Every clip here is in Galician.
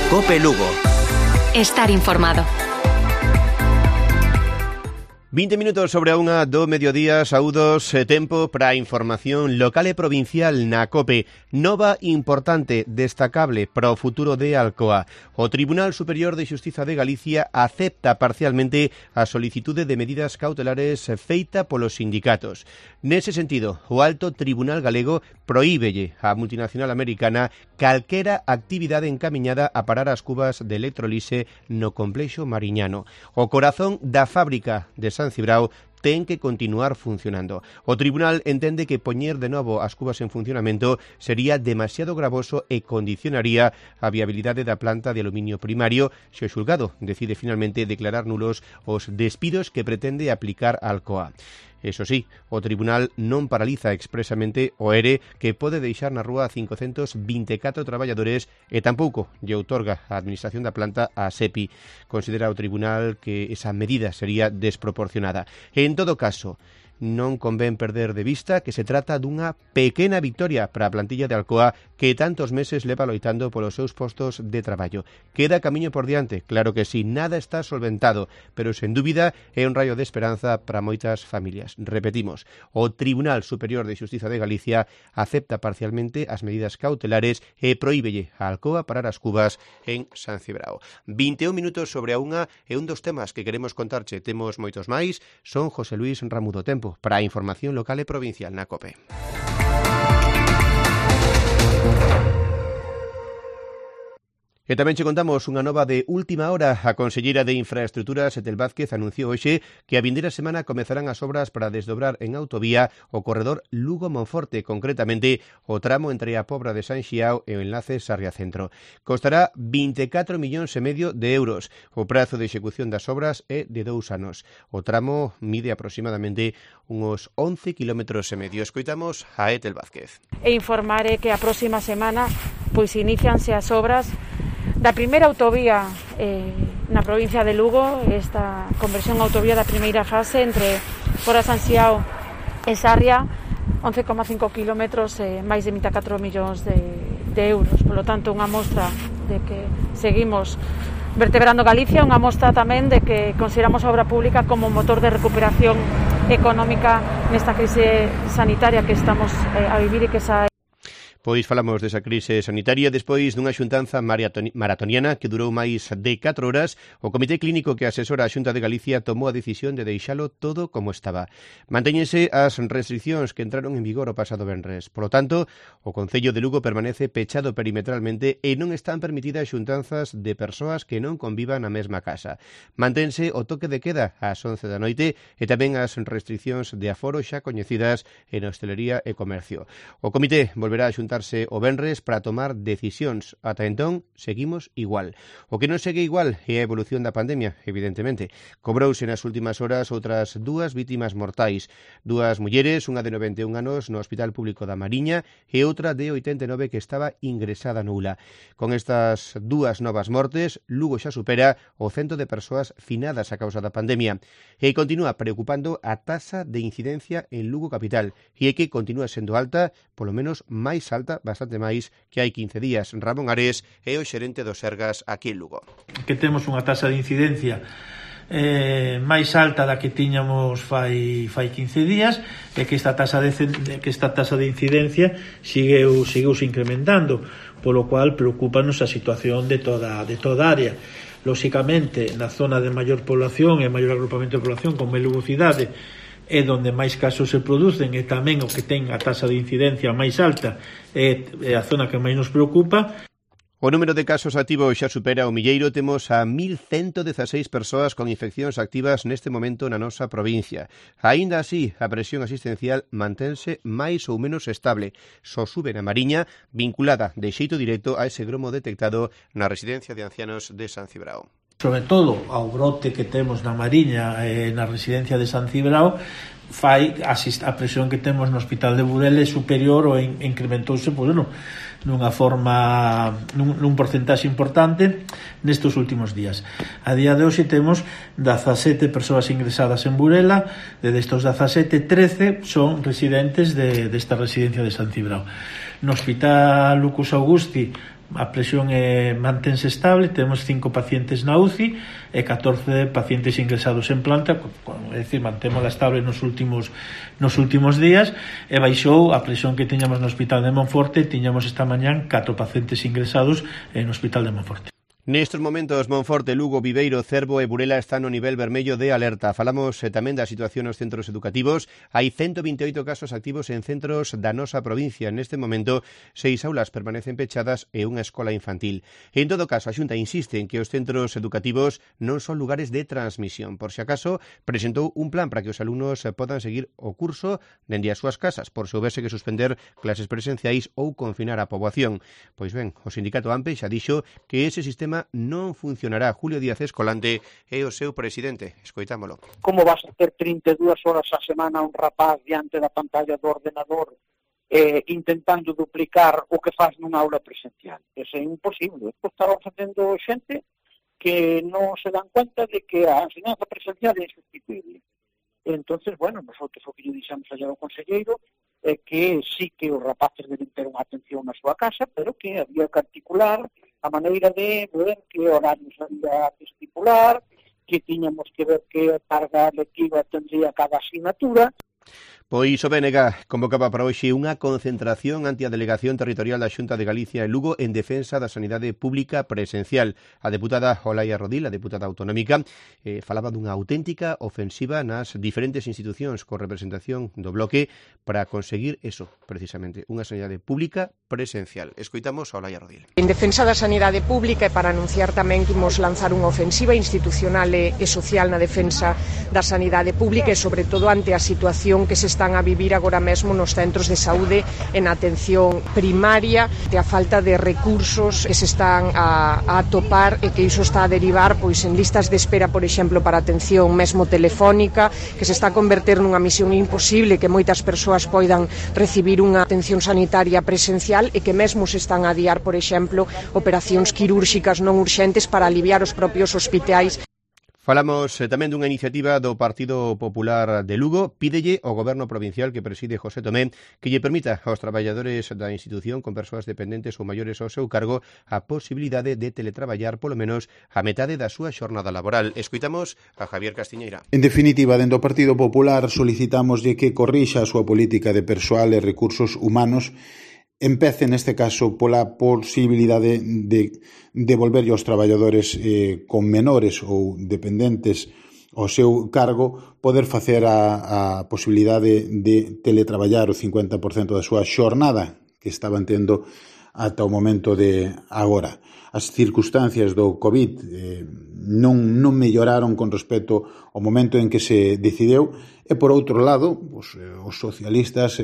COPE Lugo. Estar informado. 20 minutos sobre a unha do mediodía, saúdos, tempo para a información local e provincial na COPE. Nova importante, destacable para o futuro de Alcoa. O Tribunal Superior de Xustiza de Galicia acepta parcialmente a solicitude de medidas cautelares feita polos sindicatos. Nese sentido, o Alto Tribunal Galego prohíbelle á multinacional americana calquera actividade encamiñada a parar as cubas de electrolise no complexo mariñano. O corazón da fábrica de San Cibrao ten que continuar funcionando. O tribunal entende que poñer de novo as cubas en funcionamento sería demasiado gravoso e condicionaría a viabilidade da planta de aluminio primario se o xulgado decide finalmente declarar nulos os despidos que pretende aplicar Alcoa. Eso sí, o tribunal non paraliza expresamente o ERE que pode deixar na rúa a 524 traballadores e tampouco lle outorga a administración da planta a SEPI. Considera o tribunal que esa medida sería desproporcionada. En todo caso, non convén perder de vista que se trata dunha pequena victoria para a plantilla de Alcoa que tantos meses leva loitando polos seus postos de traballo. Queda camiño por diante, claro que sí, nada está solventado, pero sen dúbida é un raio de esperanza para moitas familias. Repetimos, o Tribunal Superior de Xustiza de Galicia acepta parcialmente as medidas cautelares e prohíbelle a Alcoa parar as cubas en San Cibrao. 21 minutos sobre a unha e un dos temas que queremos contarche, temos moitos máis, son José Luis Ramudo. Tempo para a información local e provincial na COPE. E tamén che contamos unha nova de última hora. A conselleira de Infraestruturas, Etel Vázquez, anunciou hoxe que a vindeira semana comezarán as obras para desdobrar en autovía o corredor Lugo-Monforte, concretamente o tramo entre a Pobra de San Xiao e o enlace Sarria-Centro. Costará 24,5 millóns de euros. O prazo de execución das obras é de 2 anos. O tramo mide aproximadamente uns 11,5 kilómetros. Escoitamos a Etel Vázquez. E informaré que a próxima semana pois inicianse as obras da primeira autovía na provincia de Lugo, esta conversión autovía da primeira fase entre Fora San Xiao e Sarria, 11,5 kilómetros e máis de 24 millóns de euros. Por lo tanto, unha mostra de que seguimos vertebrando Galicia, unha mostra tamén de que consideramos a obra pública como motor de recuperación económica nesta crise sanitaria que estamos a vivir e que esa Pois falamos desa crise sanitaria despois dunha xuntanza maratoniana que durou máis de 4 horas. O Comité Clínico que asesora a Xunta de Galicia tomou a decisión de deixalo todo como estaba. Mantéñense as restriccións que entraron en vigor o pasado venres. Por lo tanto, o Concello de Lugo permanece pechado perimetralmente e non están permitidas xuntanzas de persoas que non convivan na mesma casa. Mantense o toque de queda ás 11 da noite e tamén as restriccións de aforo xa coñecidas en hostelería e comercio. O Comité volverá a xuntarse o venres para tomar decisións. Ata entón, seguimos igual. O que non segue igual é a evolución da pandemia, evidentemente. Cobrouse nas últimas horas outras 2 vítimas mortais. 2 mulleres, unha de 91 anos no Hospital Público da Mariña e outra de 89 que estaba ingresada no ULA. Con estas 2 novas mortes, Lugo xa supera o 100 de persoas finadas a causa da pandemia. E continúa preocupando a taxa de incidencia en Lugo capital e é que continúa sendo alta, polo menos máis alta, bastante máis que hai 15 días. Ramón Ares é o xerente do Sergas aquí en Lugo. Que temos unha taxa de incidencia máis alta da que tiñamos fai 15 días e que esta taxa de incidencia seguiu incrementando, polo cual preocúpanos a situación de toda a área. Lóxicamente, na zona de maior población e maior agrupamento de población, como é Lugo cidade, é onde máis casos se producen e tamén o que ten a taxa de incidencia máis alta é a zona que máis nos preocupa. O número de casos activos xa supera o milleiro. Temos a 1.116 persoas con infeccións activas neste momento na nosa provincia. Aínda así, a presión asistencial mantense máis ou menos estable. Só sube na Mariña, vinculada de xeito directo a ese gromo detectado na residencia de ancianos de San Cibrao. Sobre todo ao brote que temos na Mariña e na residencia de San Cibrao, fai a presión que temos no Hospital de Burela é superior ou incrementouse nunha forma, nun porcentaxe importante nestes últimos días. A día de hoxe temos 17 persoas ingresadas en Burela, de destos 17, 13 son residentes desta residencia de San Cibrao. No Hospital Lucus Augusti A presión mantense estable, temos 5 pacientes na UCI e 14 pacientes ingresados en planta, é dicir, mantémola estable nos últimos días, e baixou a presión que tiñamos no Hospital de Monforte. Tiñamos esta mañán 4 pacientes ingresados no Hospital de Monforte. Nestes momentos, Monforte, Lugo, Viveiro, Cervo e Burela están no nivel vermello de alerta. Falamos tamén da situación nos centros educativos. Hai 128 casos activos en centros da nosa provincia. Neste momento, 6 aulas permanecen pechadas e unha escola infantil. En todo caso, a Xunta insiste en que os centros educativos non son lugares de transmisión. Por si acaso, presentou un plan para que os alumnos podan seguir o curso dende as súas casas, por se houvese que suspender clases presenciais ou confinar a poboación. Pois ben, o sindicato AMPE xa dixo que ese sistema non funcionará. Julio Díaz Escolante é o seu presidente. Escoitámolo. Como vas a ter 32 horas a semana un rapaz diante da pantalla do ordenador intentando duplicar o que faz nunha aula presencial? Eso é imposible. Isto estaba facendo xente que non se dan cuenta de que a enseñanza presencial é insustituible. Entonces, bueno, nosotros o que lle dixemos allá ao conselleiro é que sí que os rapaces deben ter unha atención na súa casa, pero que había que articular a maneira de ver que horarios había que estipular, que tiñamos que ver que carga lectiva tendría cada asignatura. Pois o BNG convocaba para hoxe unha concentración ante a Delegación Territorial da Xunta de Galicia e Lugo en defensa da sanidade pública presencial. A deputada Olaia Rodil, a deputada autonómica, falaba dunha auténtica ofensiva nas diferentes institucións con representación do bloque para conseguir eso, precisamente, unha sanidade pública presencial. Escoitamos a Olaia Rodil. En defensa da sanidade pública e para anunciar tamén que imos lanzar unha ofensiva institucional e social na defensa da sanidade pública e sobre todo ante a situación que se están a vivir agora mesmo nos centros de saúde en atención primaria, de a falta de recursos que se están a atopar e que iso está a derivar pois en listas de espera, por exemplo, para atención mesmo telefónica, que se está a converter nunha misión imposible que moitas persoas poidan recibir unha atención sanitaria presencial e que mesmo se están a adiar, por exemplo, operacións quirúrxicas non urxentes para aliviar os propios hospitais. Falamos tamén dunha iniciativa do Partido Popular de Lugo. Pídelle ao Goberno provincial que preside José Tomé que lle permita aos traballadores da institución con persoas dependentes ou maiores ao seu cargo a posibilidade de teletraballar polo menos a metade da súa xornada laboral. Escoitamos a Javier Castiñeira. En definitiva, dentro do Partido Popular solicitámoslle que corrixa a súa política de persoal e recursos humanos. Empece, neste caso, pola posibilidade de devolverlle aos traballadores con menores ou dependentes ao seu cargo poder facer a posibilidade de teletraballar o 50% da súa xornada que estaban tendo ata o momento de agora. As circunstancias do COVID non melloraron con respecto ao momento en que se decideu. E, por outro lado, os socialistas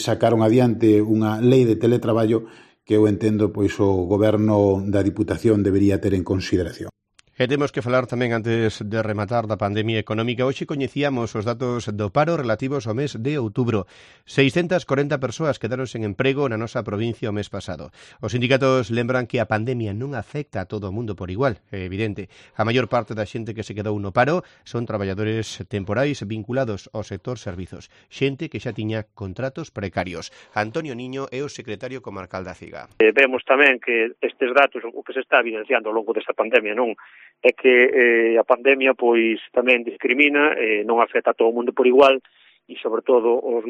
sacaron adiante unha lei de teletraballo que eu entendo pois o goberno da Diputación debería ter en consideración. E temos que falar tamén antes de rematar da pandemia económica. Hoxe coñecíamos os datos do paro relativos ao mes de outubro. 640 persoas quedaron sen emprego na nosa provincia o mes pasado. Os sindicatos lembran que a pandemia non afecta a todo o mundo por igual, é evidente. A maior parte da xente que se quedou no paro son traballadores temporais vinculados ao sector servizos. Xente que xa tiña contratos precarios. Antonio Niño é o secretario comarcal da CIGA. Vemos tamén que estes datos, o que se está evidenciando ao longo desta pandemia, non é que a pandemia pois tamén discrimina, non afecta a todo o mundo por igual e sobre todo os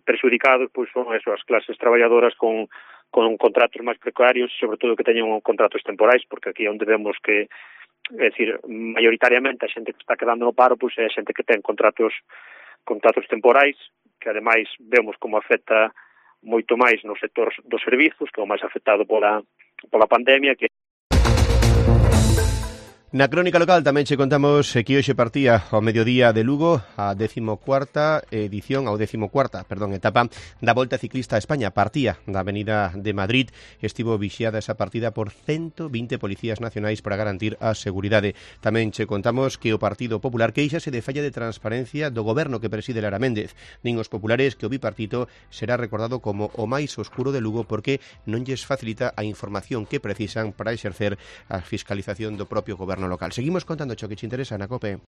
perxudicados pois son eso, as clases traballadoras con contratos máis precarios e sobre todo que teñen contratos temporais, porque aquí é onde vemos que, é dicir, maioritariamente a xente que está quedando no paro pois é a xente que ten contratos temporais, que ademais vemos como afecta moito máis no sector dos servizos, que é o máis afectado pola pandemia, que Na crónica local tamén che contamos que hoxe partía ao mediodía de Lugo a 14ª etapa da Volta Ciclista a España. Partía da Avenida de Madrid, estivo vixiada esa partida por 120 policías nacionais para garantir a seguridade. Tamén che contamos que o Partido Popular queixase de falla de transparencia do goberno que preside Lara Méndez. Nin os populares que o bipartito será recordado como o máis oscuro de Lugo porque non lles facilita a información que precisan para exercer a fiscalización do propio goberno local. Seguimos contando o que te interesa na COPE.